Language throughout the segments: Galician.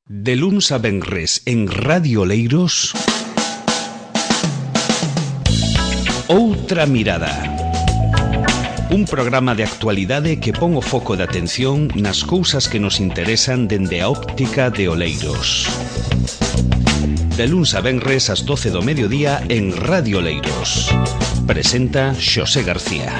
De luns a venres en Radio Oleiros, Outra Mirada. Un programa de actualidade que pon o foco de atención nas cousas que nos interesan dende a óptica de Oleiros. De luns a venres ás 12 do mediodía en Radio Oleiros. Presenta Xosé García.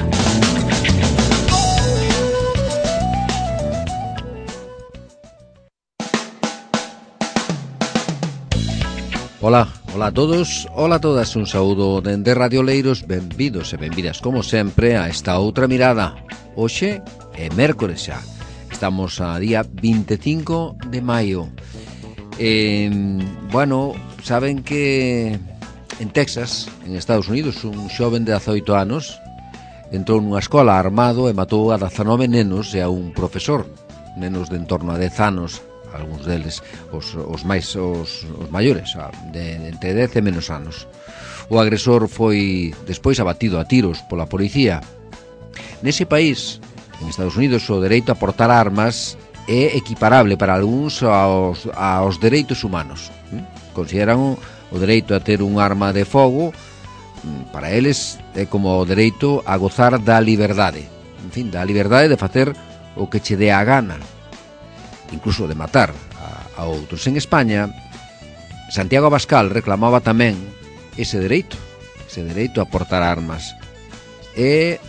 Ola a todos, ola a todas, un saúdo dende Radio Oleiros, benvidos e benvidas como sempre a esta outra mirada. Hoxe é mércores xa, estamos a día 25 de maio. Saben que en Texas, en Estados Unidos, un xoven de 18 anos entrou nunha escola armado e matou a 19 nenos e a un profesor, nenos de en torno a 10 anos, algúns deles os maiores, de entre 10 e menos anos. O agresor foi despois abatido a tiros pola policía. Nese país, en Estados Unidos, o dereito a portar armas é equiparable para algúns aos dereitos humanos. Consideran o dereito a ter un arma de fogo, para eles é como o dereito a gozar da liberdade. En fin, da liberdade de facer o que che dé a gana, incluso de matar a outros. En España, Santiago Abascal reclamaba tamén ese dereito a portar armas. É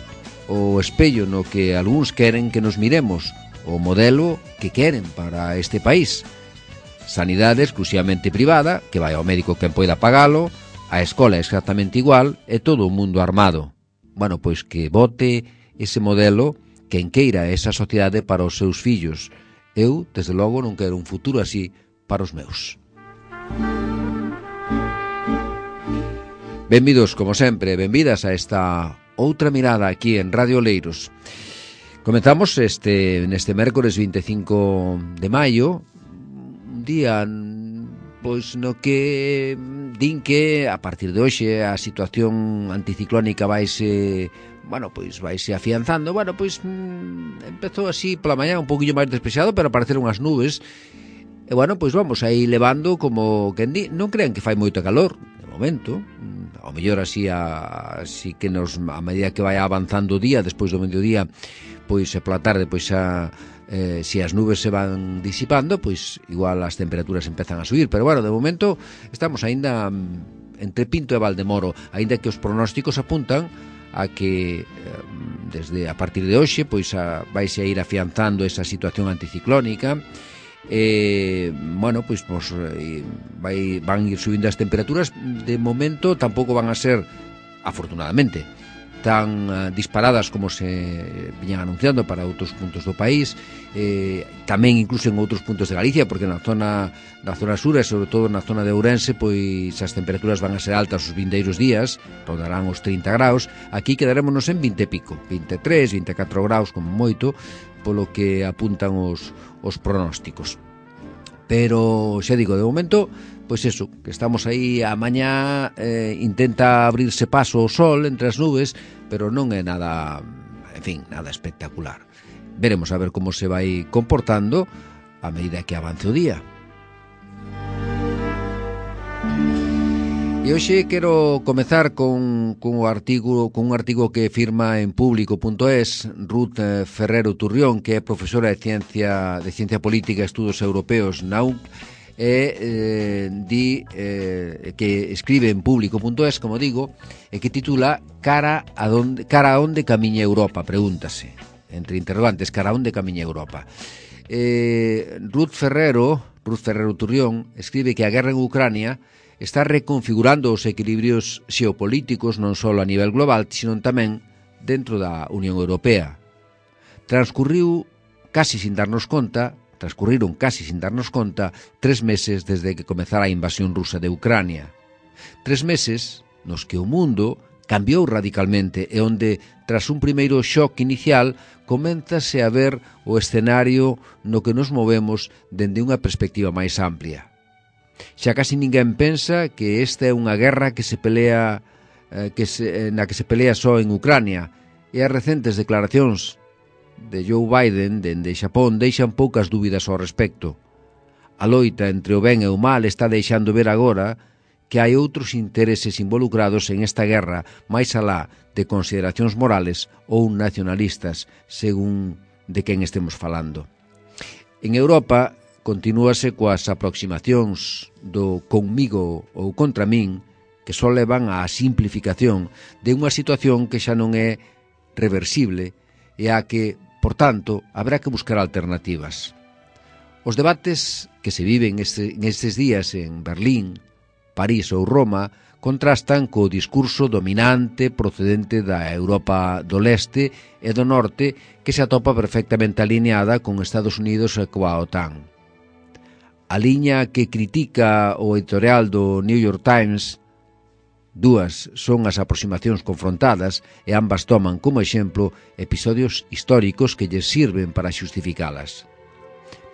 o espello no que algúns queren que nos miremos, o modelo que queren para este país. Sanidade exclusivamente privada, que vai ao médico quen poida pagalo, a escola é exactamente igual, e todo o mundo armado. Bueno, pois que vote ese modelo quen queira esa sociedade para os seus fillos. Eu, desde logo, non quero un futuro así para os meus. Benvidos, como sempre, benvidas a esta outra mirada aquí en Radio Oleiros. Comenzamos neste mércores 25 de maio, un día pois no que din que a partir de hoxe a situación anticiclónica vaise afianzando. Empezou así pola mañá un poquillo máis despexado, pero apareceron as nubes. E vamos aí levando como quen di, non crean que fai moito calor de momento. Ao mellor así que a medida que vai avanzando o día, despois do mediodía, pois pola tarde, se as nubes se van disipando, pois igual as temperaturas empezan a subir, pero de momento estamos aínda entre Pinto e Valdemoro, aínda que os pronósticos apuntan a que desde a partir de hoxe vaise a ir afianzando esa situación anticiclónica. Van ir subindo as temperaturas. De momento tampouco van a ser, afortunadamente, tan disparadas como se viñan anunciando para outros puntos do país, tamén incluso en outros puntos de Galicia, porque na zona sur e sobre todo na zona de Ourense, pois as temperaturas van a ser altas os vindeiros días, rondarán os 30 graus. Aquí quedarémonos en 20 e pico, 23, 24 graus como moito, polo que apuntan os pronósticos. Pero xa digo, de momento, pois eso, que estamos aí a mañá, intenta abrirse paso o sol entre as nubes, pero non é nada espectacular. Veremos a ver como se vai comportando a medida que avance o día. E hoxe quero comezar con un artigo que firma en Público.es Ruth Ferrero Turrión, que é profesora de Ciencia Política e Estudos Europeos na UNC, que escribe en Público.es, como digo, e que titula Cara a onde camiña Europa, pregúntase, entre interrogantes, cara a onde camiña Europa. Ruth Ferrero Turrión escribe que a guerra en Ucrania está reconfigurando os equilibrios xeopolíticos non só a nivel global, sino tamén dentro da Unión Europea. Transcurriron casi sin darnos conta 3 meses desde que comezara a invasión rusa de Ucrania. 3 meses nos que o mundo cambiou radicalmente e onde, tras un primeiro shock inicial, coménzase a ver o escenario no que nos movemos dende unha perspectiva máis amplia. Xa casi ninguén pensa que esta é unha guerra na que se pelea só en Ucrania, e as recentes declaracións de Joe Biden dende Xapón deixan poucas dúbidas ao respecto. A loita entre o ben e o mal está deixando ver agora que hai outros intereses involucrados en esta guerra máis alá de consideracións morales ou nacionalistas, según de quen estemos falando. En Europa continúase coas aproximacións do conmigo ou contra min, que só levan á simplificación de unha situación que xa non é reversible e a que, por tanto, habrá que buscar alternativas. Os debates que se viven nestes días en Berlín, París ou Roma contrastan co discurso dominante procedente da Europa do leste e do norte que se atopa perfectamente alineada con Estados Unidos e coa OTAN. A liña que critica o editorial do New York Times, dúas son as aproximacións confrontadas e ambas toman como exemplo episodios históricos que lles sirven para xustificalas.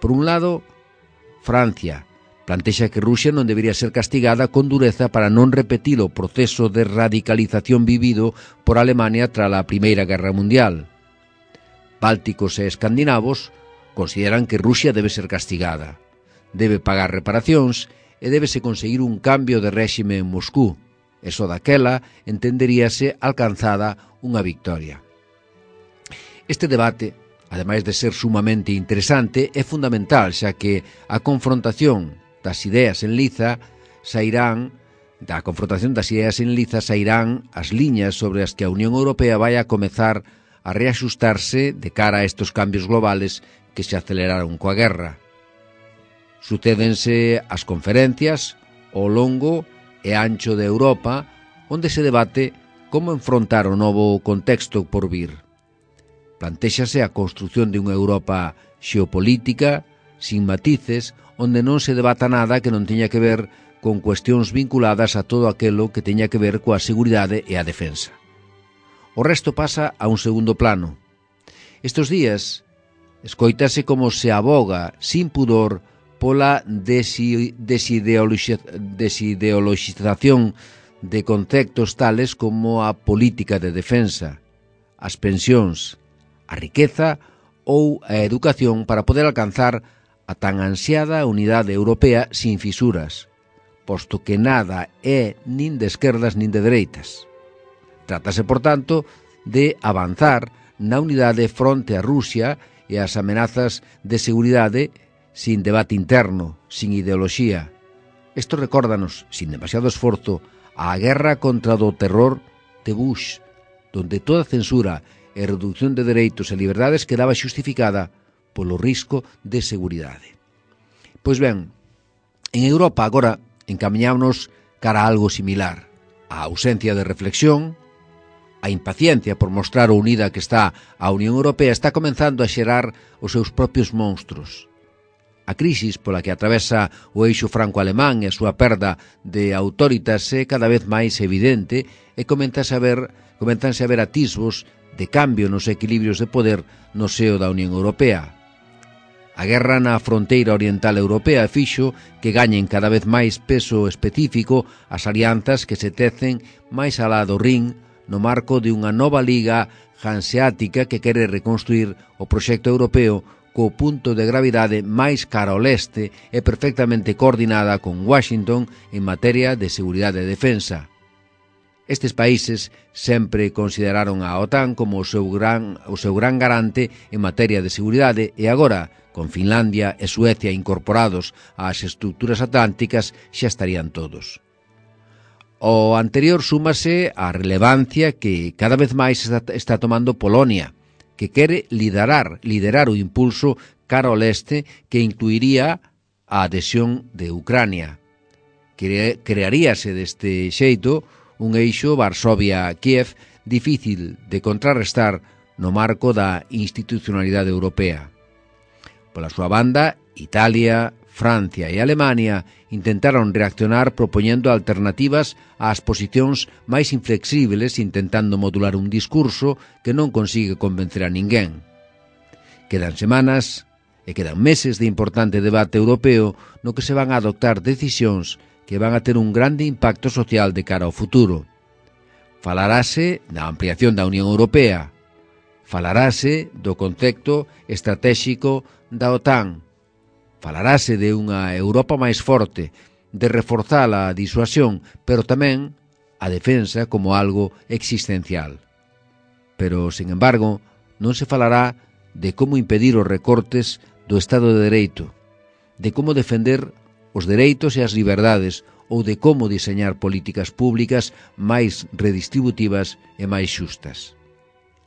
Por un lado, Francia plantexa que Rusia non debería ser castigada con dureza para non repetir o proceso de radicalización vivido por Alemania tras a Primeira Guerra Mundial. Bálticos e escandinavos consideran que Rusia debe ser castigada, debe pagar reparacións e débese conseguir un cambio de réxime en Moscú, e só daquela entenderíase alcanzada unha victoria. Este debate, ademais de ser sumamente interesante, é fundamental, xa que a confrontación das ideas en liza sairán as liñas sobre as que a Unión Europea vai a comezar a reaxustarse de cara a estes cambios globales que se aceleraron coa guerra. Sucédense as conferencias ao longo e ancho de Europa, onde se debate como enfrontar o novo contexto por vir. Plantéxase a construción de unha Europa xeopolítica, sin matices, onde non se debata nada que non teña que ver con cuestións vinculadas a todo aquelo que teña que ver coa seguridade e a defensa. O resto pasa a un segundo plano. Estes días, escoítase como se aboga, sin pudor, pola desideoloxización de conceptos tales como a política de defensa, as pensións, a riqueza ou a educación para poder alcanzar a tan ansiada unidade europea sin fisuras, posto que nada é nin de esquerdas nin de dereitas. Trátase, por tanto, de avanzar na unidade fronte a Rusia e as amenazas de seguridade sin debate interno, sin ideoloxía. Isto recórdanos, sin demasiado esforzo, a guerra contra o terror de Bush, donde toda censura e reducción de dereitos e liberdades quedaba xustificada polo risco de seguridade. Pois ben, en Europa agora encamiñámonos cara a algo similar. A ausencia de reflexión, a impaciencia por mostrar o unida que está a Unión Europea está comenzando a xerar os seus propios monstruos. A crisis pola que atravesa o eixo franco-alemán e a súa perda de autoritas é cada vez máis evidente e comenzanse a ver atisbos de cambio nos equilibrios de poder no seo da Unión Europea. A guerra na fronteira oriental europea fixo que gañen cada vez máis peso específico as alianzas que se tecen máis alá do Rin no marco de unha nova liga hanseática que quere reconstruir o proxecto europeo co punto de gravidade máis cara ao leste e perfectamente coordinada con Washington en materia de seguridade e defensa. Estes países sempre consideraron a OTAN como o seu gran garante en materia de seguridade e agora, con Finlandia e Suecia incorporados ás estruturas atlánticas, xa estarían todos. O anterior súmase a relevancia que cada vez máis está tomando Polonia, que quere liderar o impulso cara ao leste que incluiría a adhesión de Ucrania. Crearíase deste xeito un eixo Varsovia-Kiev difícil de contrarrestar no marco da institucionalidade europea. Pola súa banda, Italia, Francia e Alemania intentaron reaccionar propoñendo alternativas ás posicións máis inflexibles, intentando modular un discurso que non consigue convencer a ninguén. Quedan semanas e quedan meses de importante debate europeo no que se van a adoptar decisións que van a ter un grande impacto social de cara ao futuro. Falarase da ampliación da Unión Europea, falarase do concepto estratéxico da OTAN, Falarase de unha Europa máis forte, de reforzar a disuasión, pero tamén a defensa como algo existencial. Pero, sin embargo, non se falará de como impedir os recortes do Estado de Dereito, de como defender os dereitos e as liberdades ou de como diseñar políticas públicas máis redistributivas e máis xustas.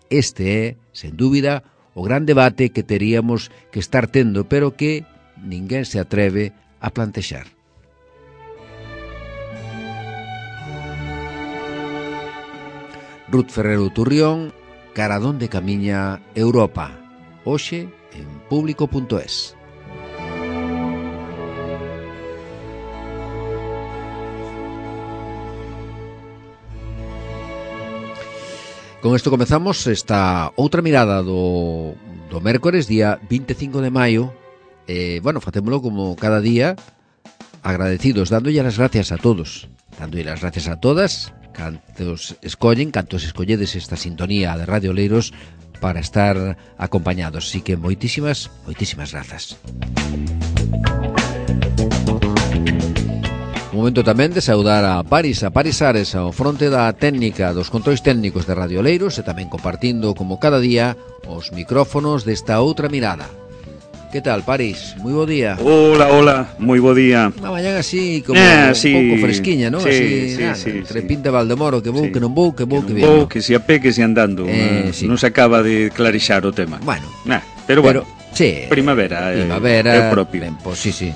Este é, sen dúbida, o gran debate que teríamos que estar tendo, pero que ninguén se atreve a plantexar. Ruth Ferrero Turrión, cara donde camiña Europa, hoxe en público.es. Con isto comezamos esta outra mirada do mércores, día 25 de maio. Facémolo como cada día, agradecidos, dándolle as gracias a todos, dándolle as gracias a todas, cantos escolledes esta sintonía de Radio Oleiros para estar acompañados. Así que moitísimas grazas. Un momento tamén de saudar a Paris Ares ao fronte da técnica dos controis técnicos de Radio Oleiros e tamén compartindo, como cada día, os micrófonos desta outra mirada. Que tal, Paris? Moi bo día. Hola, moi bo día. Unha mañana así, como un pouco fresquiña, non? Entre Pinta Valdemoro, que vou, que non vou, que vou, que vou, que si a pé, que si andando. Non se acaba de clarixar o tema. Bueno. Pero bueno, sí, primavera é o propio. Tempo, sí.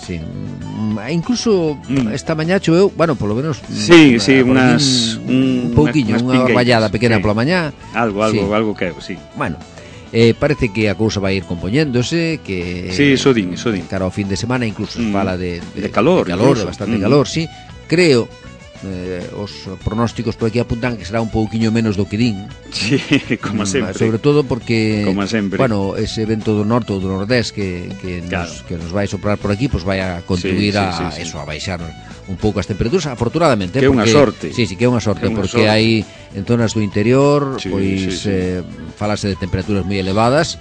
Incluso esta mañá choveu, polo menos un pouquiño, unha rallada pequena pola mañá. Algo que sí. Bueno, parece que a cousa vai ir compoñéndose, que iso din. Cara ao fin de semana incluso se fala de calor, de bastante calor, sí. Creo os pronósticos por aquí apuntan que será un pouquiño menos do que din. Sí, como sempre. Sobre todo porque, como sempre, ese vento do norte ou do nordés que nos vai soprar por aquí, pues vai a contribuir a baixar un pouco as temperaturas, afortunadamente. Que é unha sorte. Sí, que é unha sorte, porque hai en zonas do interior, falase de temperaturas moi elevadas.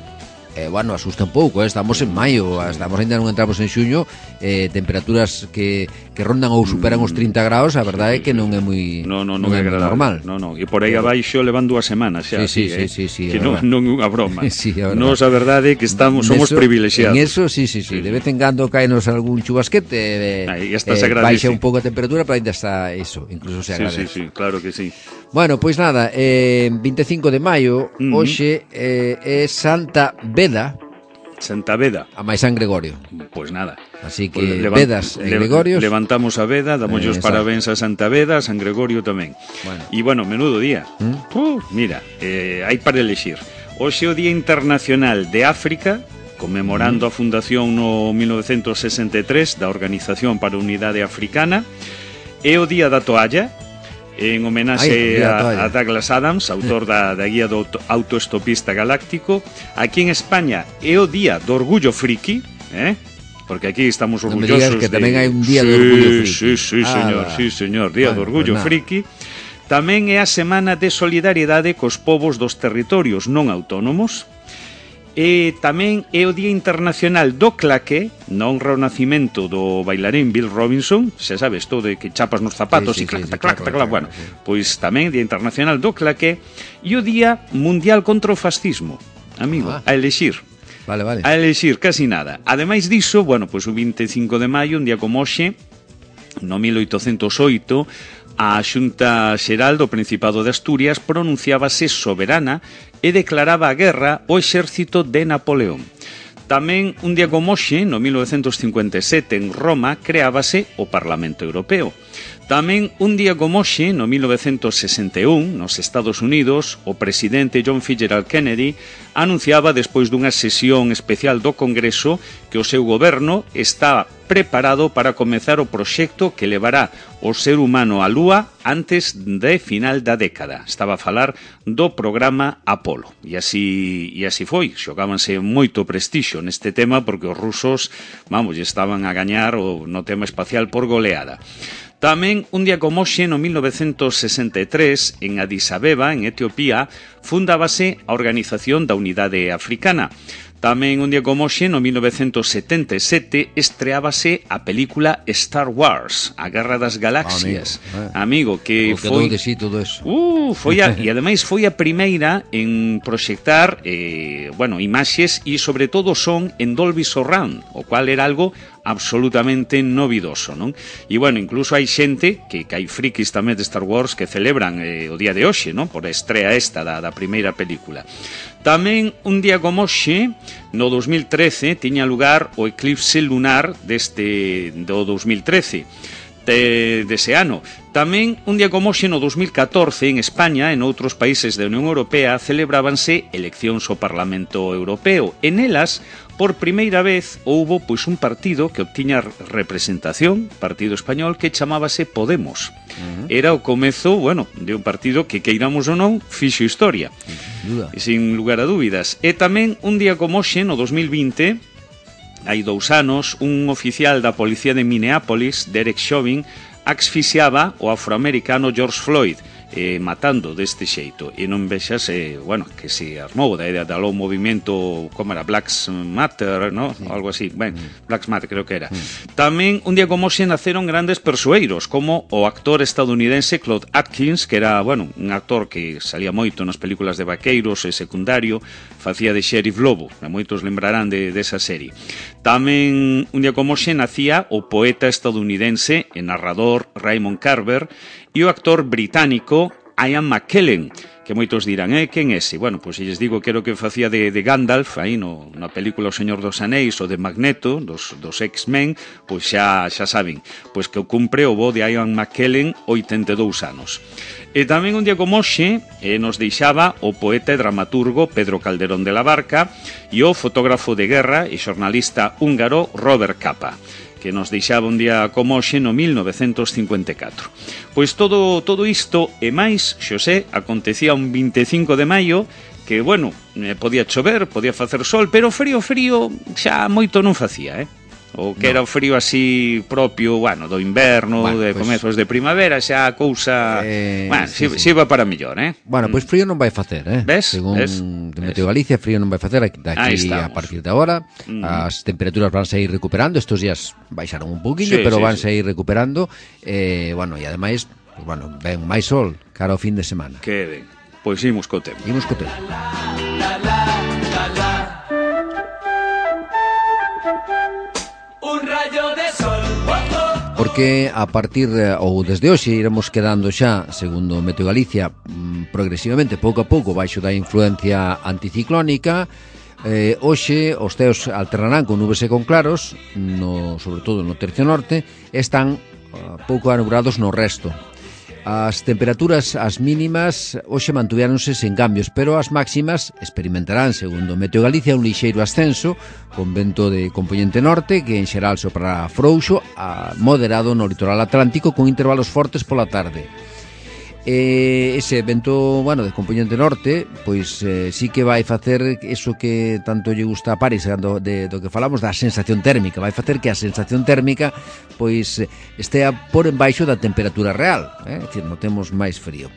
Asusta un pouco, estamos en maio, ainda non entramos en xuño, temperaturas que rondan ou superan os 30 graus, a verdade é que non é moi normal. E por aí abaixo levan 2 semanas xa. Sí, que non é unha broma. Sí, Nos a verdade é que somos privilexiados. En eso, sí, de vez en cando caenos algún chubasquete, baixa un pouco a temperatura, pero ainda está eso, incluso se agradece. Sí, claro que sí. Bueno, pois nada, 25 de maio, hoxe é Santa Beda. A máis San Gregorio. Pois nada. Así que Vedas e Gregorios. Levantamos a Veda, damos os parabéns a Santa Beda, a San Gregorio tamén. E menudo día. Mira, hai para elexir. Hoxe é o Día Internacional de África, conmemorando a fundación no 1963 da Organización para a Unidade Africana. É o Día da Toalla, en homenaxe a Douglas Adams, autor da guía do autoestopista galáctico. Aquí en España é o Día do Orgullo Friki, porque aquí estamos orgullosos. Non me digas que tamén hai un Día do Orgullo Friki. Sí, señor, Día do Orgullo Friki. Tamén é a Semana de Solidariedade cos povos dos territorios non autónomos. E tamén é o Día Internacional do Claque, na honra ao nacimento do bailarín Bill Robinson. Xa sabes, todo de que chapas nos zapatos e clac. Bueno, pois tamén Día Internacional do Claque. E o Día Mundial contra o Fascismo, amigo, a elexir. Vale. A elexir, casi nada. Ademais diso, pois o 25 de maio, un día como hoxe, no 1808, a Xunta Xeral do Principado de Asturias pronunciábase soberana e declaraba a guerra ao exército de Napoleón. Tamén, un día como hoxe, no 1957, en Roma, creábase o Parlamento Europeo. Tamén, un día como hoxe, no 1961, nos Estados Unidos, o presidente John Fitzgerald Kennedy anunciaba, despois dunha sesión especial do Congreso, que o seu goberno está preparado para comezar o proxecto que levará o ser humano á Lúa antes de final da década. Estaba a falar do programa Apolo. E así foi. Xogábanse moito prestixio neste tema porque os rusos, estaban a gañar no tema espacial por goleada. Tamén, un día como hoxe, no 1963, en Addis Abeba, en Etiopía, fundábase a Organización da Unidade Africana. Tamén un día como hoxe, no 1977, estreábase a película Star Wars, A Guerra das Galaxias. Amigo, que foi... de sí todo eso. E ademais foi a primeira en proxectar imaxes e sobre todo son en Dolby Surround, o cual era algo absolutamente novidoso, non? E incluso hai xente que hai frikis tamén de Star Wars que celebran o día de hoxe, non? Por a estrea esta da primeira película. Tamén un día como hoxe, no 2013, tiña lugar o eclipse lunar do 2013 dese ano. Tamén, un día como hoxe, no 2014, en España e en outros países da Unión Europea celebrábanse eleccións ao Parlamento Europeo. En elas, por primeira vez, houbo un partido que obtiña representación, partido español, que chamábase Podemos. Era o comezo, de un partido que, queiramos ou non, fixo historia. Sin lugar a dúbidas. E tamén, un día como hoxe, no 2020... hai 2 anos, un oficial da policía de Minneapolis, Derek Chauvin, asfixiaba o afroamericano George Floyd, matando deste xeito. E non vexas, que se armou da lo movimento, como era, Black Matter, ¿no? Sí. Algo así. Black Matter creo que era. Tamén, un día como hoxe, naceron grandes persoeiros, como o actor estadounidense Claude Atkins, que era, un actor que salía moito nas películas de vaqueiros e secundario, facía de Sheriff Lobo, moitos lembrarán desa serie. Tamén, un día como hoxe, nacía o poeta estadounidense e narrador Raymond Carver e o actor británico Ian McKellen, que moitos dirán, quen é ese? Se lles digo que era o que facía de Gandalf aí na película O Señor dos Anéis ou de Magneto, dos X-Men, xa saben, que o cumpre o bo de Ian McKellen, 82 anos. E tamén un día como hoxe nos deixaba o poeta e dramaturgo Pedro Calderón de la Barca e o fotógrafo de guerra e xornalista húngaro Robert Capa, que nos deixaba un día como hoxe no 1954. Pois todo isto e máis, Xosé, acontecía un 25 de maio que, podía chover, podía facer sol, pero frío xa moito non facía, O que era o frío así propio, do inverno, de comezos de primavera, xa a cousa, si iba para mellor, Pois frío non vai facer, Ves? Según de Meteo Galicia, frío non vai facer daqui a partir de agora. As temperaturas van a ir recuperando, estos días baixaron un poquinho, pero van a ir recuperando, e ademais, ven máis sol cara ao fin de semana. Que ben, pois imos co tempo. Porque a partir, ou desde hoxe, iremos quedando xa, segundo Meteo Galicia, progresivamente, pouco a pouco, baixo da influencia anticiclónica. Hoxe os ceos alternarán con nubes e con claros, sobre todo no tercio norte, están pouco anubrados no resto. As temperaturas, as mínimas, hoxe mantuviéronse sen cambios, pero as máximas experimentarán, segundo Meteo Galicia, un lixeiro ascenso, con vento de compoñente norte, que en xeral soprará frouxo, a moderado no litoral atlántico, con intervalos fortes pola tarde. Ese vento, de compoñente norte, pois sí que vai facer eso que tanto lle gusta a Paris, do que falamos da sensación térmica, vai facer que a sensación térmica pois estea por embaixo da temperatura real, é dicir, notemos máis frío.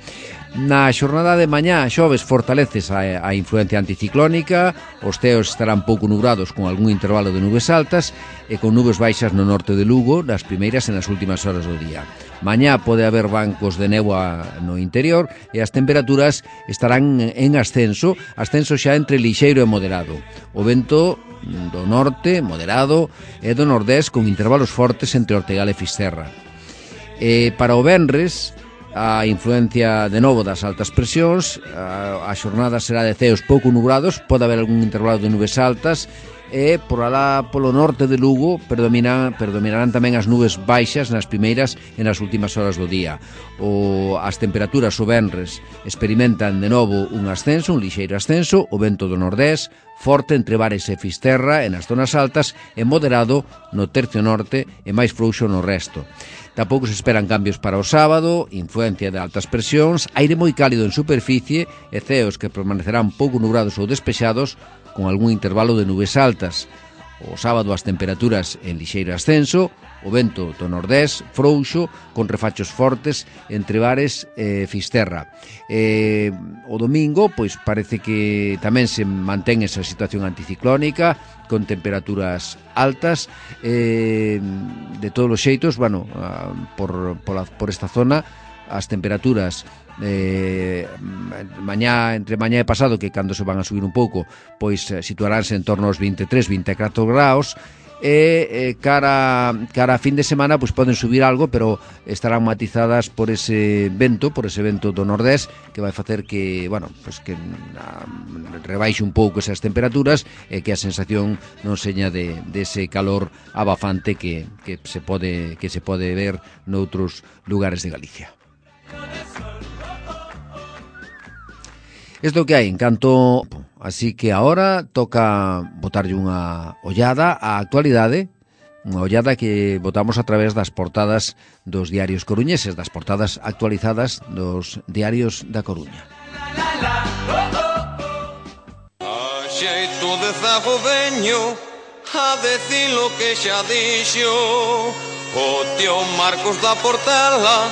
Na xornada de mañá, xoves, fortaleces a influencia anticiclónica, os ceos estarán pouco nubrados con algún intervalo de nubes altas e con nubes baixas no norte de Lugo, nas primeiras e nas últimas horas do día. Mañá pode haber bancos de néboa no interior e as temperaturas estarán en ascenso xa entre lixeiro e moderado. O vento do norte, moderado, e do nordés con intervalos fortes entre Ortegal e Fisterra. Para o venres, a influencia de novo das altas presións, a xornada será de ceos pouco nubrados, pode haber algún intervalo de nubes altas, e por alá polo norte de Lugo predominarán tamén as nubes baixas nas primeiras e nas últimas horas do día. As temperaturas o venres experimentan de novo un ascenso, un lixeiro ascenso, o vento do nordés forte entre Bares e Fisterra e nas zonas altas e moderado no tercio norte e máis frouxo no resto. Tampouco se esperan cambios para o sábado, influencia de altas presións, aire moi cálido en superficie e ceos que permanecerán pouco nubrados ou despexados con algún intervalo de nubes altas. O sábado as temperaturas en lixeiro ascenso, o vento do nordés frouxo, con refachos fortes entre Bares e Fisterra. O domingo, pois parece que tamén se mantén esa situación anticiclónica, con temperaturas altas. De todos os xeitos, bueno, por esta zona, as temperaturas entre mañá e pasado, que cando se van a subir un pouco, pois situaránse en torno aos 23-24 graus, e cara a fin de semana pois poden subir algo, pero estarán matizadas por ese vento do nordés, que vai facer que, bueno, pois que rebaixe un pouco esas temperaturas e que a sensación non seña de ese calor abafante que se pode ver noutros lugares de Galicia. Isto que hai en canto, así que ahora toca botarlle unha ollada á actualidade, unha ollada que botamos a través das portadas dos diarios coruñeses, das portadas actualizadas dos diarios da Coruña. A xeito de zagodeño, a decir lo que xa dixo o tío Marcos da Portela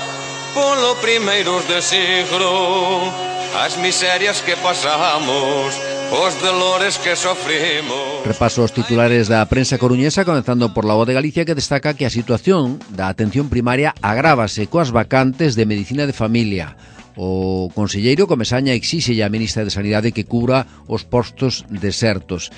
polo primeiros de siglo. As miserias que pasamos, os dolores que sofrimos. Repaso os titulares da prensa coruñesa, comenzando por La Voz de Galicia, que destaca que a situación da atención primaria agrávase coas vacantes de medicina de familia. O conselleiro Comesaña exixe á ministra de Sanidade que cubra os postos desertos.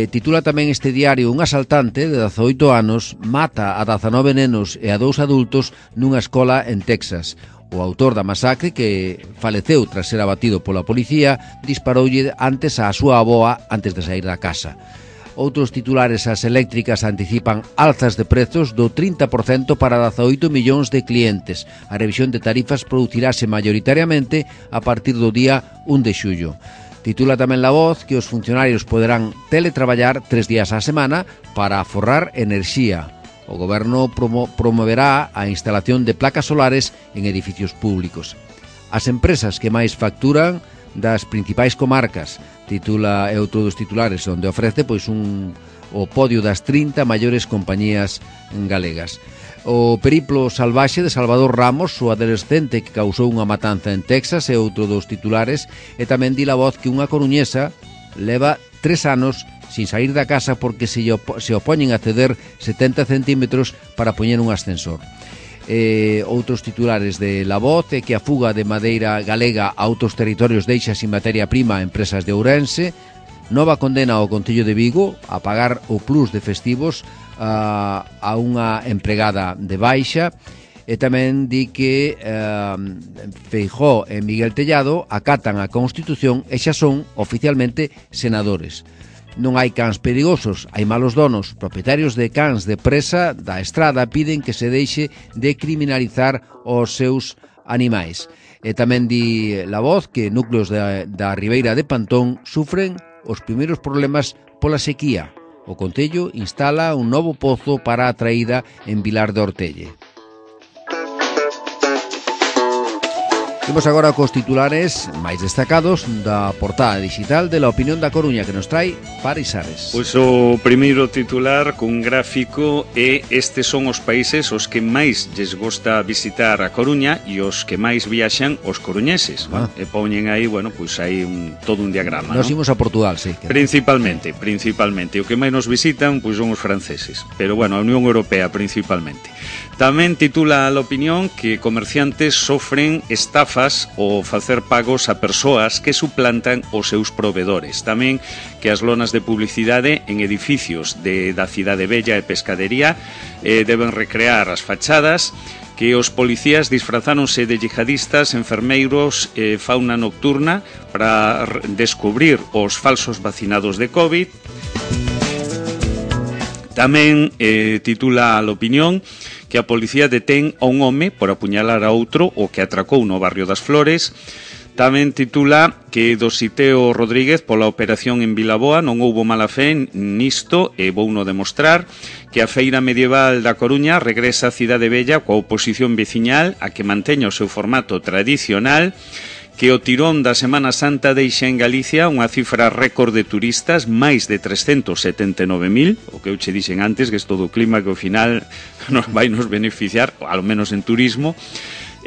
Titula tamén este diario: un asaltante de 18 anos mata a 19 nenos e a 2 adultos nunha escola en Texas. O autor da masacre, que faleceu tras ser abatido pola policía, disparoulle antes á súa avoa antes de sair da casa. Outros titulares: as eléctricas anticipan alzas de prezos do 30% para 18 millóns de clientes. A revisión de tarifas producirase maioritariamente a partir do día 1 de xullo. Titula tamén La Voz que os funcionarios poderán teletraballar 3 días á semana para aforrar enerxía. O Goberno promoverá a instalación de placas solares en edificios públicos. As empresas que máis facturan das principais comarcas, titula e outro dos titulares, onde ofrece pois o podio das 30 maiores compañías galegas. O periplo salvaxe de Salvador Ramos, o adolescente que causou unha matanza en Texas, é outro dos titulares, e tamén di La Voz que unha coruñesa leva 3 anos sin sair da casa porque se opoñen a ceder 70 centímetros para poñer un ascensor. Outros titulares de La Voz é que a fuga de madeira galega a outros territorios deixa sin materia prima a empresas de Ourense. Nova condena ao Concello de Vigo a pagar o plus de festivos a unha empregada de baixa. E tamén di que Feijóo e Miguel Tellado acatan a Constitución e xa son oficialmente senadores. Non hai cans perigosos, hai malos donos. Propietarios de cans de presa da estrada piden que se deixe de criminalizar os seus animais. E tamén di La Voz que núcleos da Ribeira de Pantón sufren os primeiros problemas pola sequía. O Concello instala un novo pozo para a traída en Vilar de Ortelle. Imos agora cos titulares máis destacados da portada digital de La Opinión da Coruña, que nos trae Paris Ares. Pois o primeiro titular cun gráfico é: estes son os países os que máis lles gosta visitar a Coruña e os que máis viaxan os coruñeses. E poñen aí, bueno, pois hai todo un diagrama. Nos imos a Portugal, sí. Principalmente. O que máis nos visitan pois son os franceses, pero bueno, a Unión Europea principalmente. Tamén titula La Opinión que comerciantes sofren estafas ao facer pagos a persoas que suplantan os seus provedores. Tamén que as lonas de publicidade en edificios da Cidade Bella e Pescadería deben recrear as fachadas, que os policías disfrazáronse de yihadistas, enfermeiros e fauna nocturna para descubrir os falsos vacinados de COVID. Tamén titula La Opinión que a policía detén a un home por apuñalar a outro o que atracou no barrio das Flores. Tamén titula que do Siteo Rodríguez pola operación en Vilaboa non houbo mala fe nisto e vouno demostrar, que a Feira Medieval da Coruña regresa á Cidade Bella coa oposición veciñal a que manteña o seu formato tradicional, que o tirón da Semana Santa deixa en Galicia unha cifra récord de turistas, máis de 379.000, o que eu che dixen antes, que é todo o clima que ao final vai nos beneficiar, ao menos en turismo.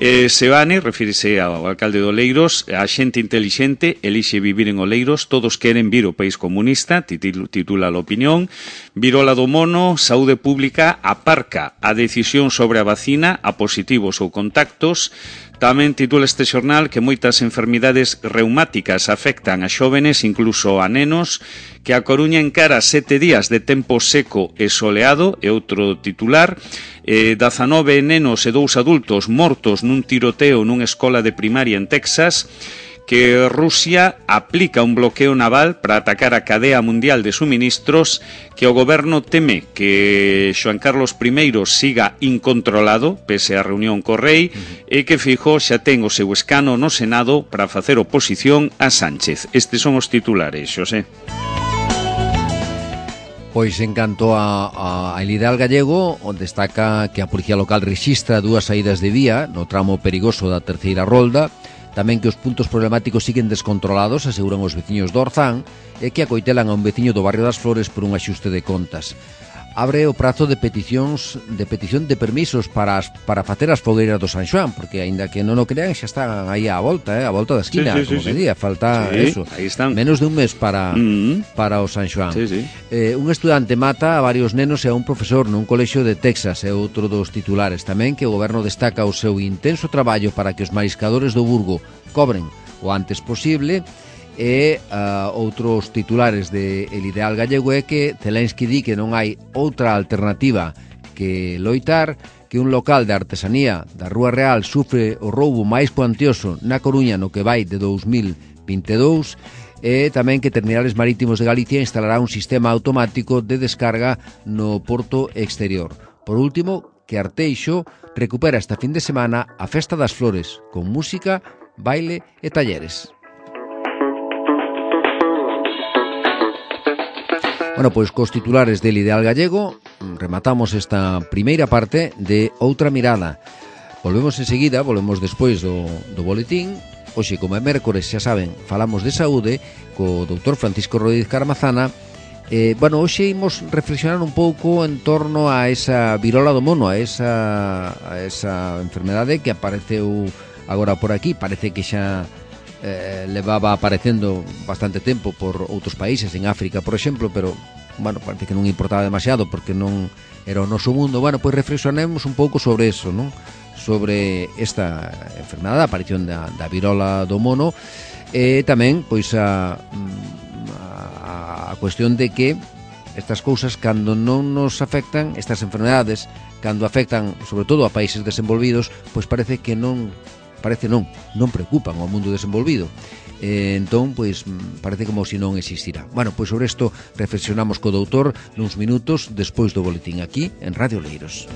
Sebane, refírese ao alcalde de Oleiros, a xente intelixente elixe vivir en Oleiros, todos queren vir ao país comunista, titula a opinión. Virola do mono, saúde pública aparca a decisión sobre a vacina a positivos ou contactos. Tamén titula este xornal que moitas enfermidades reumáticas afectan a xóvenes, incluso a nenos, que a Coruña encara 7 días de tempo seco e soleado, e outro titular, 19 nenos e 2 adultos mortos nun tiroteo nunha escola de primaria en Texas, que Rusia aplica un bloqueo naval para atacar a cadea mundial de suministros, que o goberno teme que Xoán Carlos I siga incontrolado, pese á reunión co rei, e que Feijóo xa ten o seu escano no Senado para facer oposición a Sánchez. Estes son os titulares, Xosé. Pois en canto a El Ideal Gallego, destaca que a Policía Local rexistra 2 saídas de vía no tramo perigoso da terceira rolda, tamén que os puntos problemáticos siguen descontrolados, aseguran os veciños do Orzán, e que acoitelan a un veciño do barrio das Flores por un axuste de contas. Abre o prazo de petición de permisos para facer as fogueiras do San Xoán, porque aínda que non o crean xa están aí á volta da esquina, como que día, falta eso, menos de un mes para o San Xoán. Un estudante mata a varios nenos e a un profesor nun colexio de Texas, é outro dos titulares. Tamén que o goberno destaca o seu intenso traballo para que os mariscadores do Burgo cobren o antes posible. E outros titulares de El Ideal Gallego é que Zelensky di que non hai outra alternativa que loitar, que un local de artesanía da Rúa Real sufre o roubo máis cuantioso na Coruña no que vai de 2022, e tamén que Terminales Marítimos de Galicia instalará un sistema automático de descarga no porto exterior. Por último, que Arteixo recupera esta fin de semana a Festa das Flores, con música, baile e talleres. Bueno, pois cos titulares del Ideal Gallego rematamos esta primeira parte de Outra Mirada. Volvemos enseguida, volvemos despois do boletín. Hoxe, como é mércores, xa saben, falamos de saúde co doutor Francisco Rodríguez Caramazana. Hoxe imos reflexionar un pouco en torno a esa virola do mono, a esa enfermedade que apareceu agora por aquí. Parece que xa levaba aparecendo bastante tempo por outros países, en África, por exemplo, pero, parece que non importaba demasiado porque non era o noso mundo. Pois reflexionemos un pouco sobre eso, non? Sobre esta enfermedade, a aparición da virola do mono, e tamén, pois, a cuestión de que estas cousas, cando non nos afectan, estas enfermedades, cando afectan, sobre todo, a países desenvolvidos, pois parece que non preocupan ao mundo desenvolvido. Entón, pois, parece como se non existirá. Pois sobre isto reflexionamos co doutor nuns minutos despois do boletín aquí en Radio Oleiros.